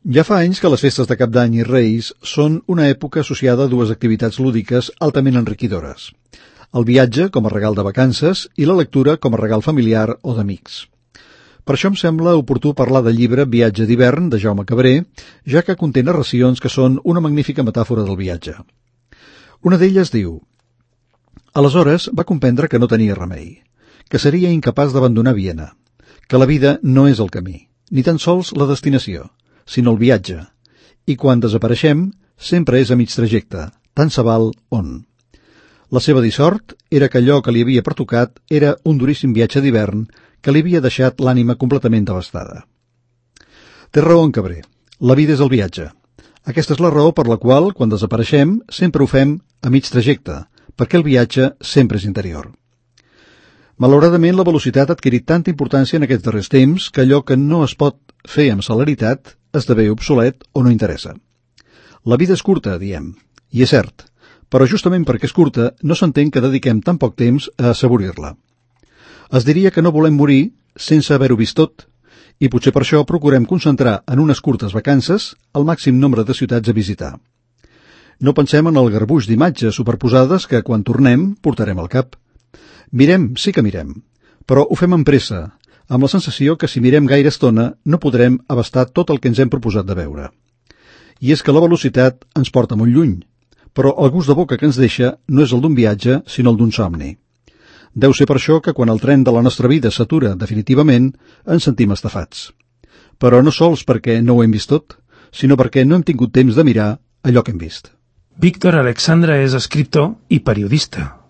Ja fa anys que les festes de Cap d'Any i Reis són una època associada a dues activitats lúdiques altament enriquidores. El viatge com a regal de vacances i la lectura com a regal familiar o d'amics. Per això em sembla oportú parlar del llibre Viatge d'hivern de Jaume Cabré, ja que conté narracions que són una magnífica metàfora del viatge. Una d'elles diu: aleshores va comprendre que no tenia remei, que seria incapaç d'abandonar Viena, que la vida no és el camí, ni tan sols la destinació, sinó el viatge, i quan desapareixem sempre és a mig trajecte, tant se val on. La seva dissort era que allò que li havia pertocat era un duríssim viatge d'hivern que li havia deixat l'ànima completament devastada. Té raó en Cabré, la vida és el viatge. Aquesta és la raó per la qual, quan desapareixem, sempre ho fem a mig trajecte, perquè el viatge sempre és interior. Malauradament, la velocitat ha adquirit tanta importància en aquests darrers temps que allò que no es pot fer amb celeritat esdevé obsolet o no interessa. La vida és curta, diem, i és cert, però justament perquè és curta no s'entén que dediquem tan poc temps a assaborir-la. Es diria que no volem morir sense haver-ho vist tot, i potser per això procurem concentrar en unes curtes vacances el màxim nombre de ciutats a visitar. No pensem en el garbuix d'imatges superposades que, quan tornem, portarem al cap. Mirem, sí que mirem, però ho fem amb pressa, amb la sensació que si mirem gaire estona no podrem abastar tot el que ens hem proposat de veure. I és que la velocitat ens porta molt lluny, però el gust de boca que ens deixa no és el d'un viatge, sinó el d'un somni. Deu ser per això que quan el tren de la nostra vida s'atura definitivament ens sentim estafats. Però no sols perquè no ho hem vist tot, sinó perquè no hem tingut temps de mirar allò que hem vist. Víctor Alexandre és escriptor i periodista.